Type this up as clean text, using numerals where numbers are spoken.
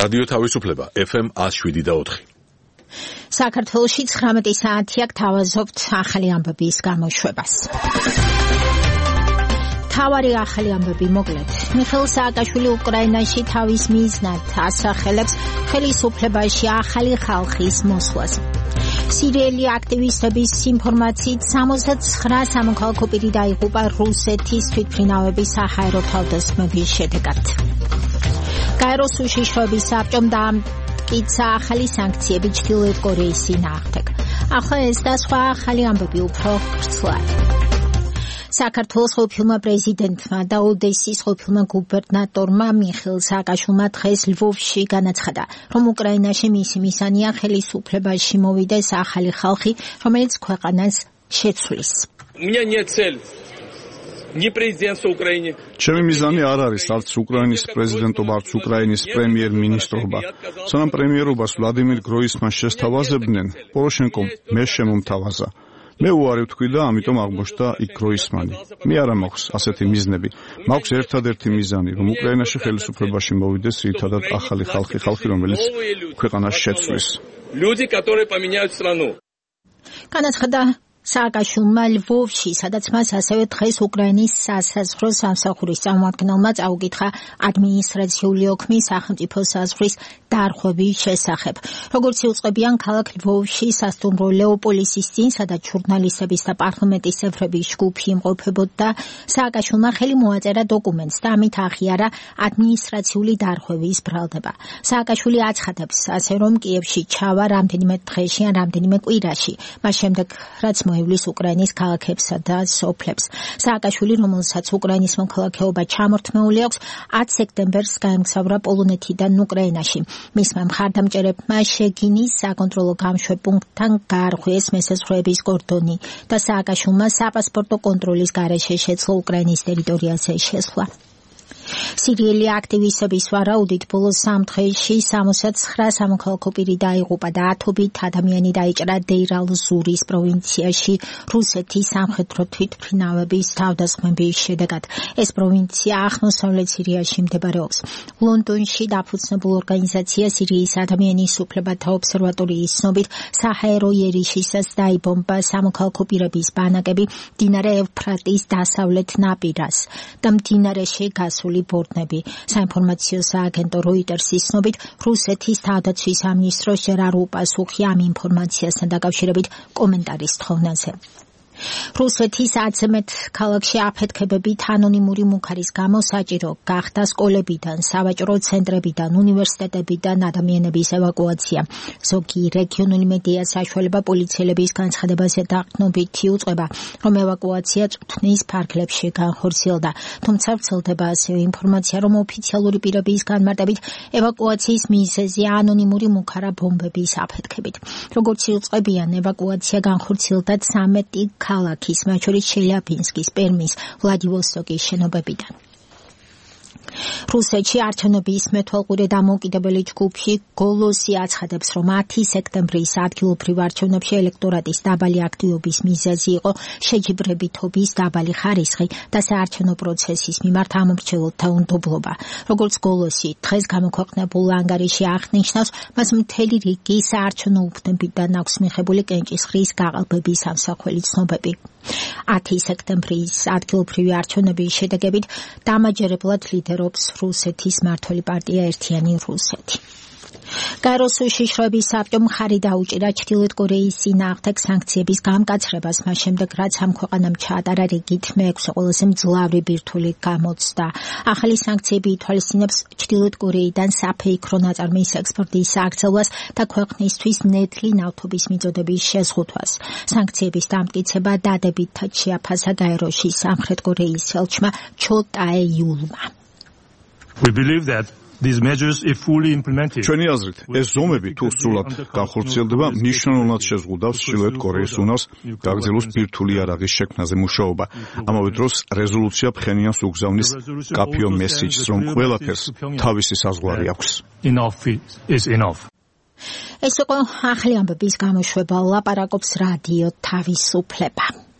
რადიო თავისუფლება FM 107.4. საქართველოში 19 საათია გთავაზობთ ახალი ამბების გამოშვებას. თავარი ახალი ამბები მოკლედ. მიხეილ სააკაშვილი უკრაინაში თავის მიზნად ასახელებს ხელისუფლებაში ახალი ხალხის მოსვლას. სირიელი აქტივისტების ინფორმაციით 69 სამოქალაქო პირი დაიღუპა რუსეთის თვითმფრინავების საჰაერო თავდასხმების შედეგად. გაეროს უშიშროების საბჭომ დაამტკიცა ახალი სანქციები ჩრდილოეთ კორეის წინააღმდეგ. ახლა ეს და სხვა ახალი ამბები უფრო ვრცლად. საქართველოს ყოფილმა პრეზიდენტმა და ოდესის ყოფილმა გუბერნატორმა მიხეილ სააკაშვილმა დღეს ლვოვში განაცხადა, რომ უკრაინაში მისი მიზანია ხელისუფლებაში მოვიდეს ახალი ხალხი, რომელიც ქვეყანას შეცვლის. ჩემი მიზანი არ არის არც უკრაინის პრეზიდენტობა, არც უკრაინის პრემიერ-მინისტრობა. სანამ პრემიერობას ვლადიმირ გროისმანს შესთავაზებდნენ, პოროშენკომ მე შემომთავაზა. მე უარი ვთქვი და ამიტომ აღმოჩნდა იქ გროისმანი. მე არა მაქვს ასეთი მიზნები. მაქვს ერთადერთი მიზანი, რომ უკრაინაში ხელისუფლებაში მოვიდეს ერთადად ახალი ხალხი, რომელიც ქვეყანას შეცვლის. განაცხადა სააკაშვილმა ლვოვში, სადაც მას ასევე დღეს უკრაინის სასაზღვრო სამსახურის წარმომადგენელმა წაუკითხა ადმინისტრაციული ოქმი სახელმწიფო საზღვრის დარღვევის შესახებ. როგორც იუწყებიან, ქალაქ ლვოვში სასტუმრო ლეოპოლისის წინ, სადაც ჟურნალისტების და პარლამენტის წევრების ჯგუფი იმყოფებოდა, სააკაშვილმა ხელი მოაწერა დოკუმენტს და ამით აღიარა ადმინისტრაციული დარღვევის ბრალდება. სააკაშვილი აცხადებს, ასე რომ კიევში ჩავა რამდენიმე დღეში ან რამდენიმე კვირაში, მას შემდეგ რაც მოივლის უკრაინის ქალაქებსა და სოფლებს. სააკაშვილი, რომელსაც უკრაინის მოქალაქეობა ჩამორთმეული აქვს, 10 სექტემბერს გაემგზავრა პოლონეთიდან უკრაინაში. მისმა მხარდამჭერებმა შეგინის საკონტროლო გამშვებპუნქტთან გაარღვიეს მესაზღვრეების კორდონი და სააკაშვილმა საპასპორტო კონტროლის გარეშე შეძლო უკრაინის ტერიტორიაზე შესვლა. სირიელი აქტივისტების ვარაუდით ბოლოს 3 დღეში 69 სამოქალაქო პირი დაიღუპა და 10-ობით ადამიანი დაიჭრა დეირ-ალ-ზურის პროვინციაში რუსეთის სამხედრო თვითმფრინავების თავდასხმების შედეგად. ეს პროვინცია აღმოსავლეთ სირიაში მდებარეობს. ლონდონში დაფუძნებულ ორგანიზაცია სირიის ადამიანის უფლებათა ობსერვატორიის ცნობით საჰაერო იერიშისას დაიბომბა სამოქალაქო პირების ბანაკები მდინარე ევფრატის დასავლეთ ნაპირას და მდინარეში გასული ბორნები. საინფორმაციო სააგენტო როიტერსის ცნობით, რუსეთის თავდაცვის სამინისტროს ჯერ არ უპასუხია ამ ინფორმაციასთან დაკავშირებით კომენტარის თხოვნაზე. რუსეთის 10-ზე მეტ ქალაქში აფეთქებებით ანონიმური მუქარის გამო საჭირო გახდა სკოლებიდან, სავაჭრო ცენტრებიდან, უნივერსიტეტებიდან ადამიანების ევაკუაცია. ზოგი რეგიონული მედია საშუალება პოლიციელების განცხადებაზე დაყრდნობით იუწყება, რომ ევაკუაცია წვრთნის ფარგლებში განხორციელდა. თუმცა ვრცელდება ასევე ინფორმაცია, რომ ოფიციალური პირების განმარტებით ევაკუაციის მიზეზი ანონიმური მუქარა ბომბების აფეთქებით. როგორც იუწყებიან, ევაკუაცია განხორციელდა 13 ქალაქის, მათ შორის ჩელიაბინსკის, პერმის, ვლადივოსტოკის შენობებიდან. რუსეთში არჩევნების მეთვალყურე დამოუკიდებელი ჯგუფი გოლოსი აცხადებს, რომ 10 სექტემბრის ადგილობრივ არჩევნებში ელექტორატის დაბალი აქტივობის მიზეზი იყო შეჯიბრებითობის დაბალი ხარისხი და საარჩევნო პროცესის მიმართ ამომრჩეველთა უნდობლობა. როგორც გოლოსი დღეს გამოქვეყნებულ ანგარიში აღნიშნავს, მას მთელი რიგი საარჩევნო უბნებიდან აქვს მიღებული კენჭისყრის გაყალბების ამსახველი ცნობები. 10 სექტემბრის ადგილობრივი არჩევნების შედეგებით დამაჯერებლად ლიდერობს რუსეთის მმართველი პარტია ერთიანი რუსეთი. გაეროს უშიშროების საბჭომ მხარი დაუჭირა ჩრდილოეთ კორეის წინააღმდეგ სანქციების გამკაცრებას, მას შემდეგ რაც ამ ქვეყანამ ჩაატარა რიგით მე-6 ყველაზე მძლავრი ბირთვული გამოცდა. ახალი სანქციები ითვალისწინებს ჩრდილოეთ კორეიდან საფეიქრო ნაწარმის ექსპორტის სააქცევას და ქვეყნისთვის ნედლი ნავთობის მიწოდების შეზღუდვას. სანქციების დამტკიცება დადებითად შეაფასა გაეროში სამხრეთ კორეის ელჩმა ჩო ტაე-იულმა. We believe that these measures if fully implemented. ჩვენი აზრით, ეს ზომები თუ სრულად განხორციელდება, მნიშვნელოვნად შეზღუდავს ჩრდილოეთ კორეის უნარს გაგრძელოს ბირთვული იარაღის შექმნაზე მუშაობა. ამავე დროს რეზოლუცია ფხენიანს უგზავნის კაფიო მესიჯს, რომ ყველაფერს თავისი საზღვარი აქვს. Enough is enough. ეს იყო ახალი ამბების გამოშვება, ლაპარაკობს რადიო თავისუფლება.